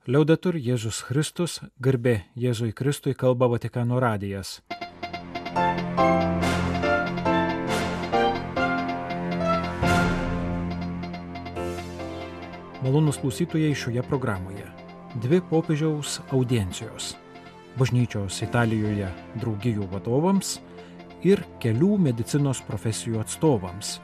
Liaudetur Jėzus Kristus, garbė Jėzui Kristui, kalba Vatikano radijas. Malonūs klausytojai šioje programoje. 2 popiežiaus audiencijos. Bažnyčios Italijoje draugijų vadovams ir kelių medicinos profesijų atstovams.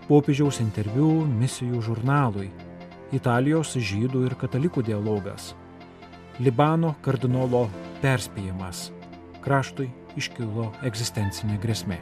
Popiežiaus interviu misijų žurnalui. Italijos žydų ir katalikų dialogas. Libano kardinolo perspėjimas. Kraštui iškilo egzistencinė grėsmė.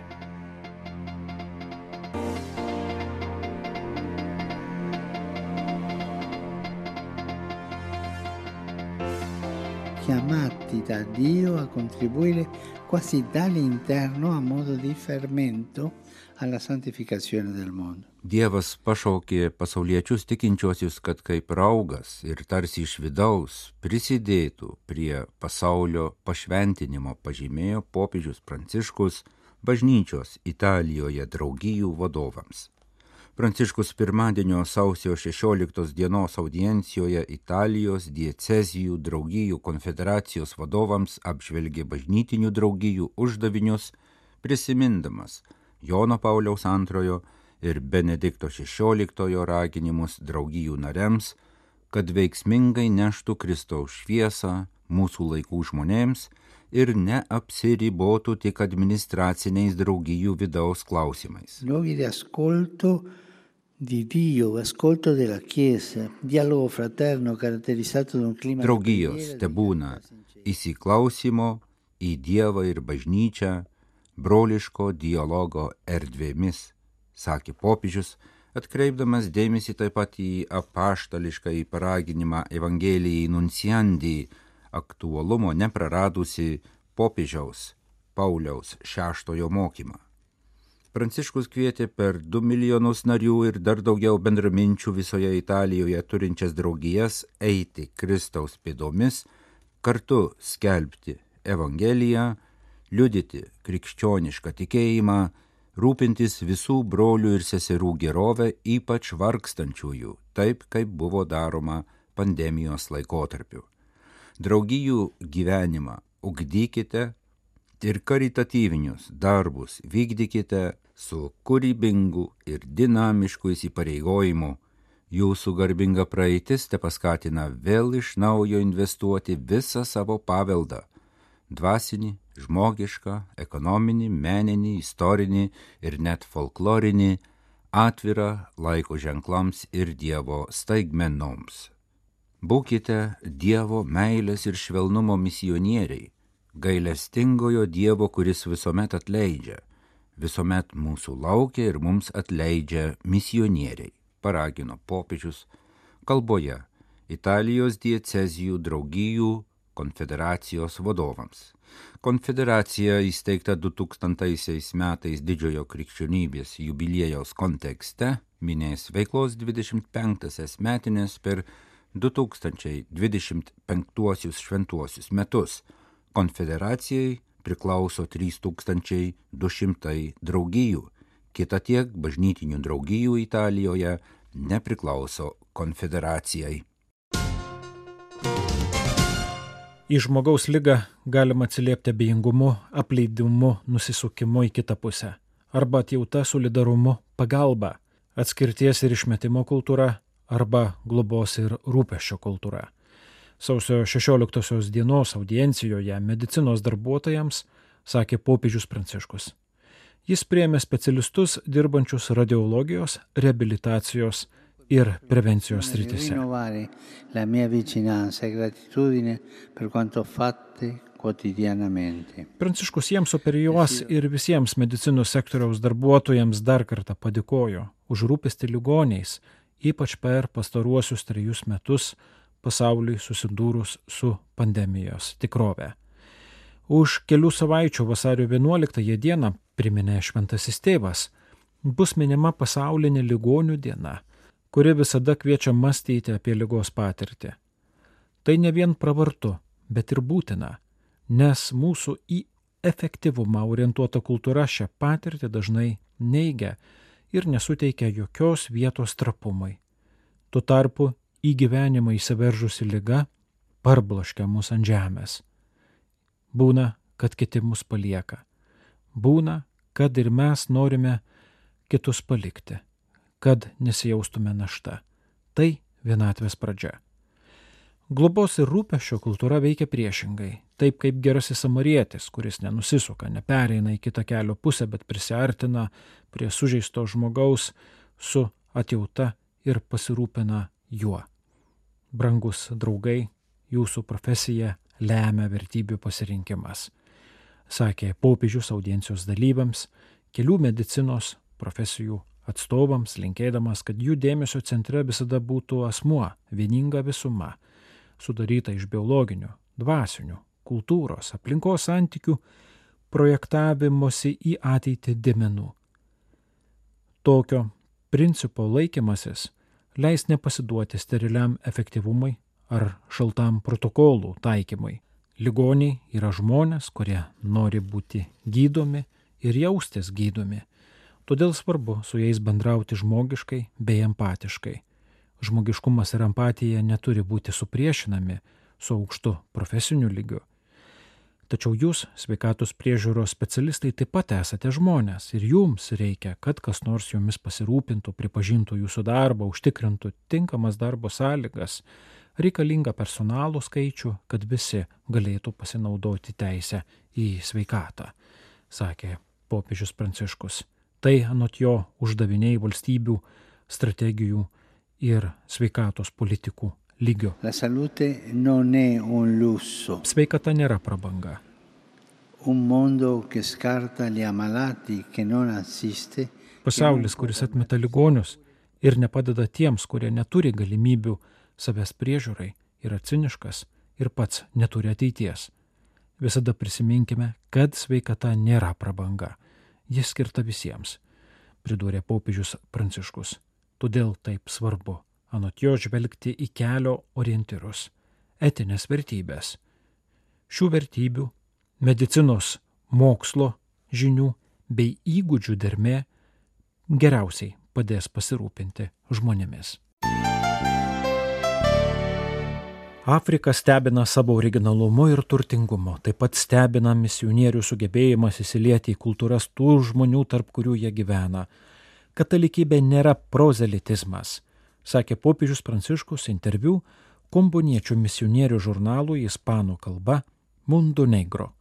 Chiamati da Dio a contribuire quasi dall'interno a modo di fermento alla santificazione del mondo. Dievas pašaukė pasauliečius tikinčiuosius, kad kaip raugas ir tarsi iš vidaus prisidėtų prie pasaulio pašventinimo, pažymėjo popiežius Pranciškus bažnyčios Italijoje draugijų vadovams. Pranciškus pirmadienio sausio 16 dienos audiencijoje Italijos diecezijų draugijų konfederacijos vadovams apžvelgė bažnytinių draugijų uždavinius, prisimindamas Jono Pauliaus II ir Benedikto XVI raginimus draugijų nariams, kad veiksmingai neštų Kristaus šviesą mūsų laikų žmonėms ir neapsiribotų tik administraciniais draugijų vidaus klausimais. Luoghi di ascolto di Dio, ascolto della Chiesa, dialogo fraterno caratterizzato da un clima. Draugijos tebūna įsiklausimo į Dievą ir bažnyčią, broliško dialogo erdvėmis, sakė popiežius, atkreipdamas dėmesį taip pat į apaštališką paraginimą Evangelijai Nunciandi, aktualumo nepraradusi popiežiaus Pauliaus VI mokymą. Pranciškus kvietė per 2 milijonus narių ir dar daugiau bendraminčių visoje Italijoje turinčias draugijas eiti Kristaus pėdomis, kartu skelbti Evangeliją, liudyti krikščionišką tikėjimą, rūpintis visų brolių ir seserų gerovę, ypač vargstančiųjų, taip kaip buvo daroma pandemijos laikotarpiu. Draugijų gyvenimą ugdykite ir karitatyvinius darbus vykdykite su kūrybingu ir dinamišku įsipareigojimu. Jūsų garbinga praeitis tepaskatina vėl iš naujo investuoti visą savo paveldą – dvasinį, žmogišką, ekonominį, meninį, istorinį ir net folklorinį, atvirą laiko ženklams ir Dievo staigmenoms. Būkite Dievo meilės ir švelnumo misionieriai, gailestingojo Dievo, kuris visuomet atleidžia, visuomet mūsų laukia ir mums atleidžia misionieriai, paragino popiežius kalboje Italijos diecezijų draugijų konfederacijos vadovams. Konfederacija įsteigta 2000 metais didžiojo krikščionybės jubiliejaus kontekste minės veiklos 25 metinės per 2025 šventuosius metus. Konfederacijai priklauso 3200 draugijų, kita tiek bažnytinių draugijų Italijoje nepriklauso konfederacijai. Į žmogaus ligą galima atsiliepti abejingumu, apleidimu, nusisukimu į kitą pusę. Arba atjauta, solidarumu, pagalba, atskirties ir išmetimo kultūra, arba globos ir rūpesčio kultūra. Sausio 16 dienos audiencijoje medicinos darbuotojams sakė popiežius Pranciškus. Jis priėmė specialistus dirbančius radiologijos, reabilitacijos ir prevencijos srityse. La mia vicinanza e gratitudine per quanto fate quotidianamente. Pranciškus jiems, o per juos ir visiems medicinos sektoriaus darbuotojams dar kartą padėkojo už rūpestį ligoniais, ypač per pastaruosius 3 metus pasauliui susidūrus su pandemijos tikrove. Už kelių savaičių vasario 11 dieną, priminė Šventasis Tėvas, bus minima pasaulinė ligonių diena, kuri visada kviečia mąstyti apie ligos patirtį. Tai ne vien pravartu, bet ir būtina, nes mūsų į efektyvumą orientuota kultūra šią patirtį dažnai neigia ir nesuteikia jokios vietos trapumui. Tuo tarpu į gyvenimą įsiveržusi liga parbloškia mus ant žemės. Būna, kad kiti mus palieka. Būna, kad ir mes norime kitus palikti, kad nesijaustume našta. Tai vienatvės pradžia. Globos ir rūpesčio kultūra veikia priešingai, taip kaip gerasis samarietis, kuris nenusisuka, nepereina į kitą kelio pusę, bet prisiartina prie sužeisto žmogaus su atjauta ir pasirūpina juo. Brangus draugai, jūsų profesija lemia vertybių pasirinkimas, sakė popiežius audiencijos dalyviams, kelių medicinos profesijų atstovams, linkėdamas, kad jų dėmesio centre visada būtų asmuo, vieninga visuma, sudaryta iš biologinių, dvasinių, kultūros, aplinkos santykių, projektavimosi į ateitį dėmenų. Tokio principo laikymasis leis nepasiduoti steriliam efektyvumui ar šaltam protokolų taikymui. Ligoniai yra žmonės, kurie nori būti gydomi ir jaustis gydomi. Todėl svarbu su jais bendrauti žmogiškai bei empatiškai. Žmogiškumas ir empatija neturi būti supriešinami su aukštu profesiniu lygiu. Tačiau jūs, sveikatos priežiūros specialistai, taip pat esate žmonės ir jums reikia, kad kas nors jumis pasirūpintų, pripažintų jūsų darbą, užtikrintų tinkamas darbo sąlygas, reikalingą personalų skaičių, kad visi galėtų pasinaudoti teisę į sveikatą, sakė popiežius Pranciškus. Tai anot jo uždaviniai valstybių, strategijų ir sveikatos politikų lygio. La salute non è un lusso. Sveikata nėra prabanga. Un mondo che scarta gli ammalati, che non assiste. Pasaulis, kuris atmeta ligonius ir nepadeda tiems, kurie neturi galimybių savęs priežiūrai, yra ciniškas ir pats neturi ateities. Visada prisiminkime, kad sveikata nėra prabanga. Jis skirta visiems, pridūrė popiežius Pranciškus. Todėl taip svarbu, anot jo, žvelgti į kelio orientyrus, etinės vertybės. Šių vertybių, medicinos, mokslo, žinių bei įgūdžių dermė geriausiai padės pasirūpinti žmonėmis. Afrika stebina savo originalumu ir turtingumu, taip pat stebina misionierių sugebėjimas įsilieti į kultūras tų žmonių, tarp kurių jie gyvena. Katalikybė nėra prozelitizmas, sakė popiežius Pranciškus interviu komboniečių misionierių žurnalui ispanų kalba Mundo Negro.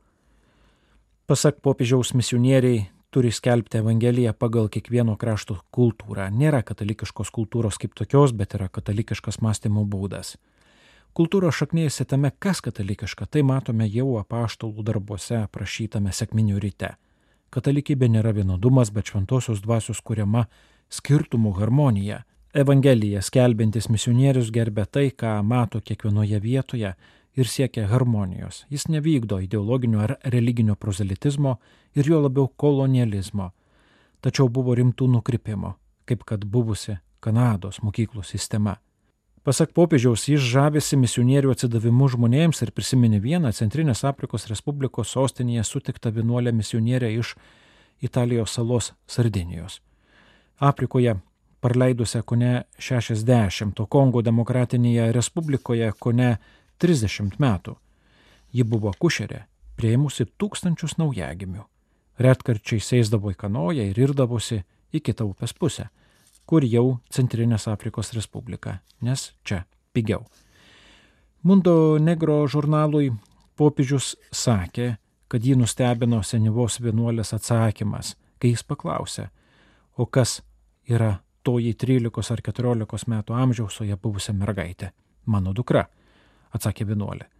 Pasak popiežiaus, misionieriai turi skelbti Evangeliją pagal kiekvieno krašto kultūrą. Nėra katalikiškos kultūros kaip tokios, bet yra katalikiškas mąstymo būdas. Kultūros šaknėjasi tame, kas katalikiška, tai matome jau apaštalų darbuose aprašytame sekminių ryte. Katalikybė nėra vienodumas, bet šventosios dvasios kuriama skirtumų harmonija. Evangelija skelbiantis misionierius gerbia tai, ką mato kiekvienoje vietoje ir siekia harmonijos. Jis nevykdo ideologinio ar religinio prozelitizmo ir jo labiau kolonializmo. Tačiau buvo rimtų nukrypimų, kaip kad buvusi Kanados mokyklų sistema. Pasak popiežiaus, jis žavisi misionierių atsidavimu žmonėms ir prisiminė vieną Centrinės Afrikos Respublikos sostinėje sutiktą vienuolę misionierę iš Italijos salos Sardinijos. Afrikoje praleidusią kone 60, o Kongo Demokratinėje Respublikoje kone 30 metų. Ji buvo akušerė, priėmusi tūkstančius naujagimių. Retkarčiais sėsdavo į kanoją ir irdavosi į kitą upės pusę, kur jau Centrinės Afrikos Respublika, nes čia pigiau. Mundo Negro žurnalui popiežius sakė, kad jį nustebino senyvos vienuolės atsakymas, kai jis paklausė, o kas yra toji 13 ar 14 metų amžiaus oje buvusia mergaitė. Mano dukra, atsakė vienuolė.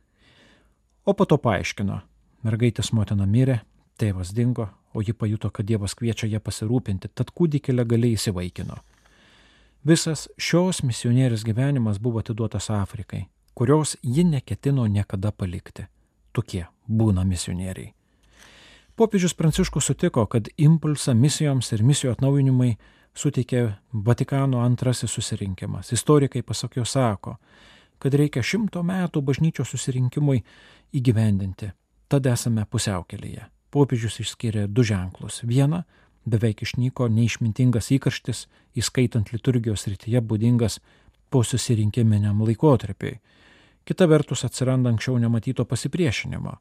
O po to paaiškino, mergaitės motina mirė, tėvas dingo, o ji pajuto, kad Dievas kviečia ją pasirūpinti, tad kūdikį legaliai įsivaikino. Visas šios misionierės gyvenimas buvo atiduotas Afrikai, kurios ji neketino niekada palikti. Tokie būna misionieriai. Popiežius Pranciškus sutiko, kad impulsą misijoms ir misijų atnaujinimai suteikė Vatikano antrasis susirinkimas. Istorikai pasak jo sako, kad reikia 100 metų bažnyčios susirinkimui įgyvendinti. Tad esame pusiaukelėje. Popiežius išskyrė 2 ženklus. Vieną, beveik išnyko neišmintingas įkarštis, įskaitant liturgijos srityje būdingas po susirinkiminiam laikotarpiui. Kita vertus atsiranda anksčiau nematyto pasipriešinimo.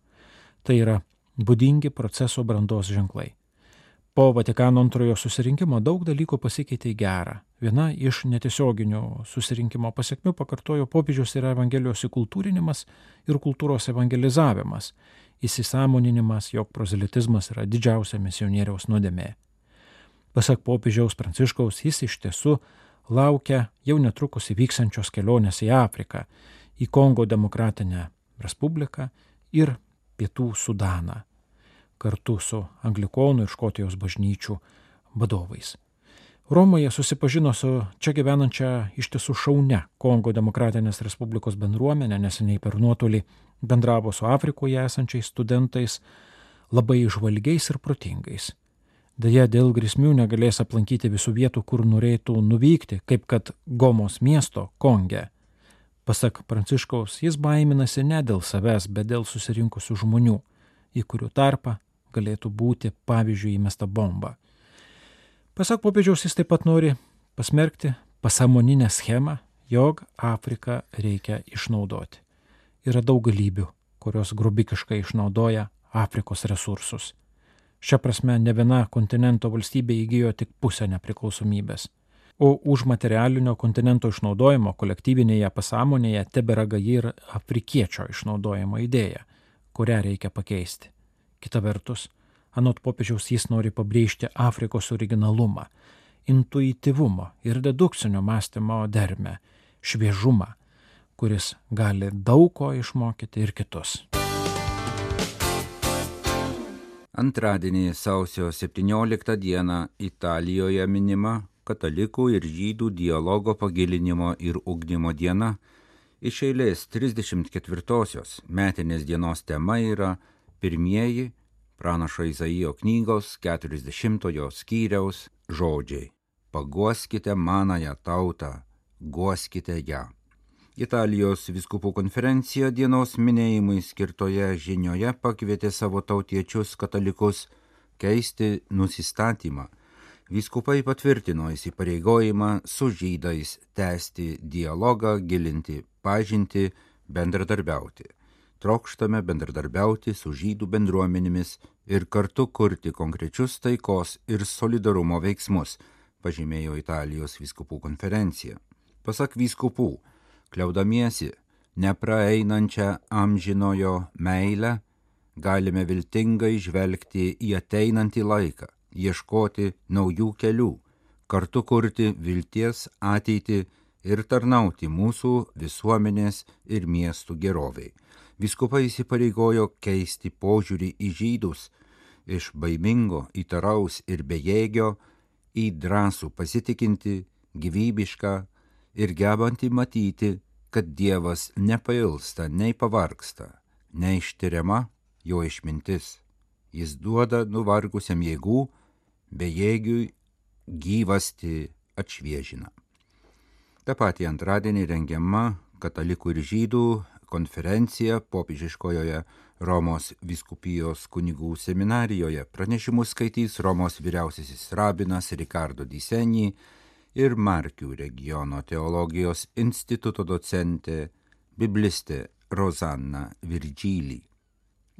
Tai yra būdingi proceso brandos ženklai. Po Vatikano antrojo susirinkimo daug dalykų pasikeitė į gerą. Viena iš netiesioginių susirinkimo pasiekmių, pakartojo popiežius, yra Evangelijos įkultūrinimas ir kultūros evangelizavimas, įsisąmoninimas, jog prozelitizmas yra didžiausia misionieriaus nuodėmė. Pasak popiežiaus Pranciškaus, jis iš tiesų laukia jau netrukus įvyksiančios kelionės į Afriką, į Kongo demokratinę respubliką ir Pietų Sudaną, kartu su Anglikonų ir Škotijos bažnyčių vadovais. Romoje susipažino su čia gyvenančia iš tiesų šaunia Kongo demokratinės respublikos bendruomenė, neseniai per nuotolį bendravo su Afrikoje esančiais studentais, labai žvalgiais ir protingais. Deja, dėl grėsmių negalės aplankyti visų vietų, kur norėtų nuvykti, kaip kad Gomos miesto Konge. Pasak Pranciškaus, jis baiminasi ne dėl savęs, bet dėl susirinkusių žmonių, į kurių tarpą galėtų būti, pavyzdžiui, įmesta bomba. Pasak popiežiaus, jis taip pat nori pasmerkti pasąmoninę schemą, jog Afriką reikia išnaudoti. Yra daug galybių, kurios grubikiškai išnaudoja Afrikos resursus. Šia prasme, ne viena kontinento valstybė įgijo tik pusę nepriklausomybės. O už materialinio kontinento išnaudojimo kolektyvinėje pasąmonėje tebėra gaji ir afrikiečio išnaudojimo idėja, kurią reikia pakeisti. Kita vertus, anot popiežiaus, jis nori pabrėžti Afrikos originalumą, intuityvumo ir dedukcinio mąstymo dermę, šviežumą, kuris gali daug ko išmokyti ir kitus. Antradienį sausio 17 dieną Italijoje minima katalikų ir žydų dialogo pagilinimo ir ugdymo diena. Iš eilės 34-osios metinės dienos tema yra pirmieji pranašo Izaijo knygos 40 skyriaus žodžiai. Paguoskite manąją tautą, guoskite ją. Italijos vyskupų konferencija dienos minėjimui skirtoje žinioje pakvietė savo tautiečius katalikus keisti nusistatymą. Vyskupai patvirtino įsipareigojimą su žydais tęsti dialogą, gilinti pažintį, bendradarbiauti. Trokštame bendradarbiauti su žydų bendruomenėmis ir kartu kurti konkrečius taikos ir solidarumo veiksmus, pažymėjo Italijos vyskupų konferencija. Pasak vyskupų, kliaudamiesi nepraeinančią amžinojo meilę, galime viltingai žvelgti į ateinantį laiką, ieškoti naujų kelių, kartu kurti vilties ateitį ir tarnauti mūsų visuomenės ir miestų geroviai. Vyskupai įsipareigojo keisti požiūrį į žydus iš baimingo, įtaraus ir bejėgio į drąsų pasitikinti, gyvybišką ir gebantį matyti, kad Dievas nepailsta, nei pavargsta, neištiriama jo išmintis. Jis duoda nuvargusiam jėgų, bejėgiui gyvastį atšviežina. Ta pati antradienį rengiama katalikų ir žydų konferencija popiežiškojoje Romos vyskupijos kunigų seminarijoje. Pranešimus skaitys Romos vyriausiasis rabinas Ricardo Di Segni ir Markių regiono teologijos instituto docentė, biblistė Rosanna Virgilį.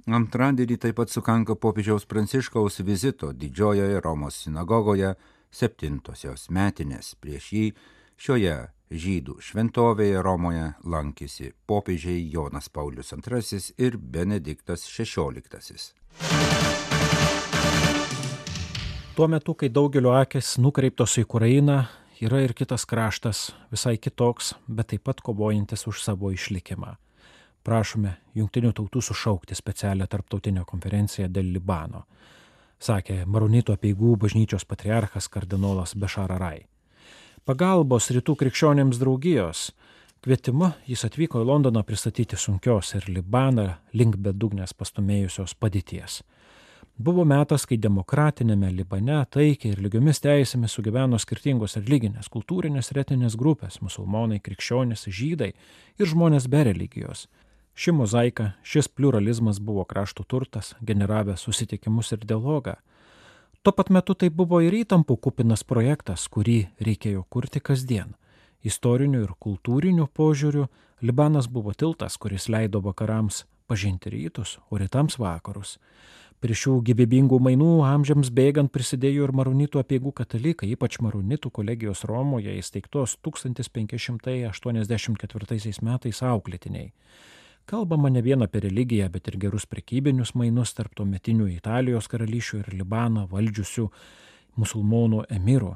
Antradienį taip pat sukanka popiežiaus Pranciškaus vizito Didžiojoje Romos sinagogoje 7-osios metinės. Prieš jį šioje žydų šventovėje Romoje lankėsi popiežiai Jonas Paulius II ir Benediktas XVI. Tuo metu, kai daugelio akis nukreiptos į Ukrainą, yra ir kitas kraštas, visai kitoks, bet taip pat kovojantis už savo išlikimą. Prašome Jungtinių tautų sušaukti specialią tarptautinę konferenciją dėl Libano, sakė Maronitų apeigų bažnyčios patriarchas kardinolas Bešar Arai. Pagalbos rytų krikščionėms draugijos kvietimu jis atvyko į Londoną pristatyti sunkios ir Libaną link bedugnės pastumėjusios padėties. Buvo metas, kai demokratinėme Libane taikiai ir lygiomis teisėmis sugyveno skirtingos religinės, kultūrinės ir etinės grupės – musulmonai, krikščionys, žydai ir žmonės be religijos. Ši mozaika, šis pliuralizmas buvo krašto turtas, generavęs susitikimus ir dialogą. Tuo pat metu tai buvo ir įtampų kupinas projektas, kurį reikėjo kurti kasdien. Istoriniu ir kultūriniu požiūriu Libanas buvo tiltas, kuris leido vakarams pažinti rytus, o rytams vakarus. Prie šių gyvybingų mainų amžiams bėgant prisidėjo ir maronitų apeigų katalikai, ypač maronitų kolegijos Romoje įsteigtos 1584 metais auklėtiniai. Kalbama ne vien apie religiją, bet ir gerus prekybinius mainus tarp tuometinių Italijos karalysčių ir Libaną valdžiusių musulmonų emirų.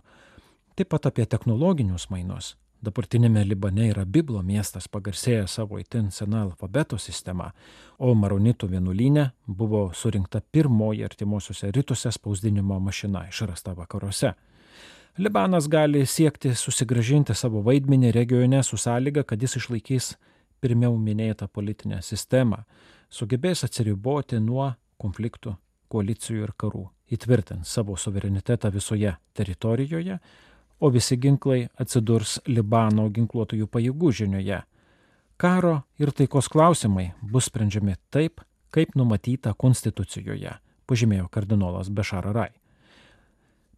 Taip pat apie technologinius mainus. Dabartinėme Libane yra Biblo miestas pagarsėjęs savo itin sena alfabeto sistema, o maronitų vienuolyne buvo surinkta pirmoji artimuosiuose rytuose spausdinimo mašina išrasta vakaruose. Libanas gali siekti susigrąžinti savo vaidmenį regione su sąlyga, kad jis išlaikys pirmiau minėtą politinę sistemą, sugebės atsiriboti nuo konfliktų, koalicijų ir karų, įtvirtins savo suverenitetą visoje teritorijoje, o visi ginklai atsidurs Libano ginkluotųjų pajėgų žinioje. Karo ir taikos klausimai bus sprendžiami taip, kaip numatyta konstitucijoje, pažymėjo kardinolas Bešar Arai.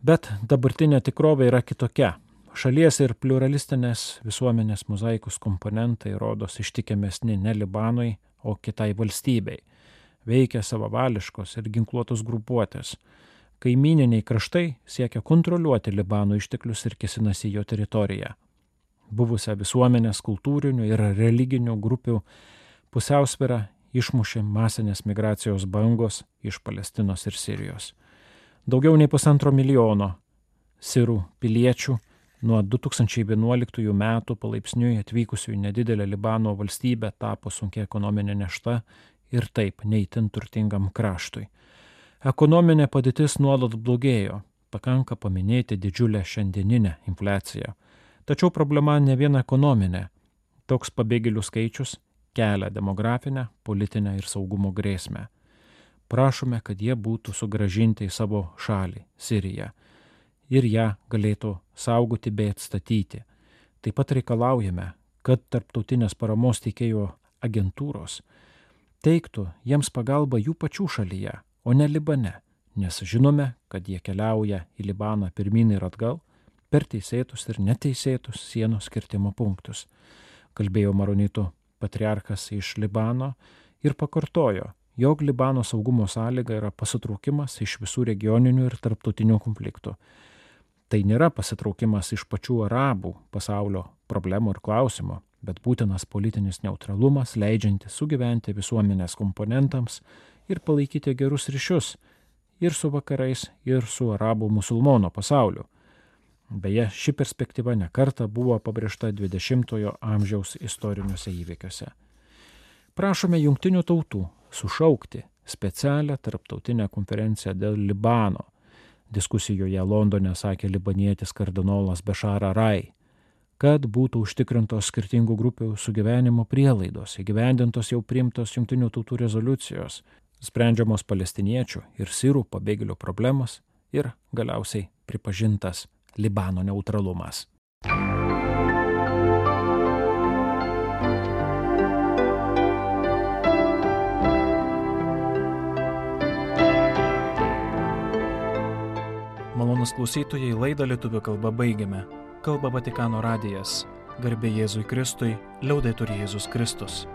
Bet dabartinė tikrovė yra kitokia. Šalies ir pluralistinės visuomenės mozaikos komponentai rodos ištikimesni ne Libanui, o kitai valstybei. Veikia savavališkos ir ginkluotos grupuotės. Kaimyniniai kraštai siekia kontroliuoti Libano išteklius ir kėsinasi jo teritoriją. Buvusią visuomenės, kultūrinių ir religinių grupių pusiausvyrą išmušė masinės migracijos bangos iš Palestinos ir Sirijos. Daugiau nei 1,5 milijono sirų piliečių nuo 2011 metų palaipsniui atvykusių į nedidelę Libano valstybę tapo sunkia ekonominė našta ir taip neįtin turtingam kraštui. Ekonominė padėtis nuolat blogėjo, pakanka paminėti didžiulę šiandieninę infliaciją. Tačiau problema ne vien ekonominė. Toks pabėgėlių skaičius kelia demografinę, politinę ir saugumo grėsmę. Prašome, kad jie būtų sugrąžinti į savo šalį, Siriją, ir ją galėtų saugoti bei atstatyti. Taip pat reikalaujame, kad tarptautinės paramos teikėjų agentūros teiktų jiems pagalbą jų pačių šalyje, o ne Libane, nes žinome, kad jie keliauja į Libaną pirmyn ir atgal per teisėtus ir neteisėtus sienos kirtimo punktus, kalbėjo maronitų patriarchas iš Libano ir pakartojo, jog Libano saugumo sąlyga yra pasitraukimas iš visų regioninių ir tarptautinių konfliktų. Tai nėra pasitraukimas iš pačių arabų pasaulio problemų ir klausimų, bet būtinas politinis neutralumas, leidžiantis sugyventi visuomenės komponentams ir palaikyti gerus ryšius ir su vakarais, ir su arabų musulmonų pasauliu. Beje, ši perspektyva nekarta buvo pabrėžta 20-ojo amžiaus istoriniuose įvykiuose. Prašome jungtinių tautų sušaukti specialią tarptautinę konferenciją dėl Libano. Diskusijoje Londone sakė libanietis kardinolas Bešar Arai, kad būtų užtikrintos skirtingų grupių sugyvenimo prielaidos, įgyvendintos jau priimtos jungtinių tautų rezoliucijos, sprendžiamos palestiniečių ir sirų pabėgėlių problemas ir galiausiai pripažintas Libano neutralumas. Malonūs klausytojai, laidą lietuvių kalba baigiame. Kalba Vatikano radijas. Garbė Jėzui Kristui, liaudetur Jėzus Kristus.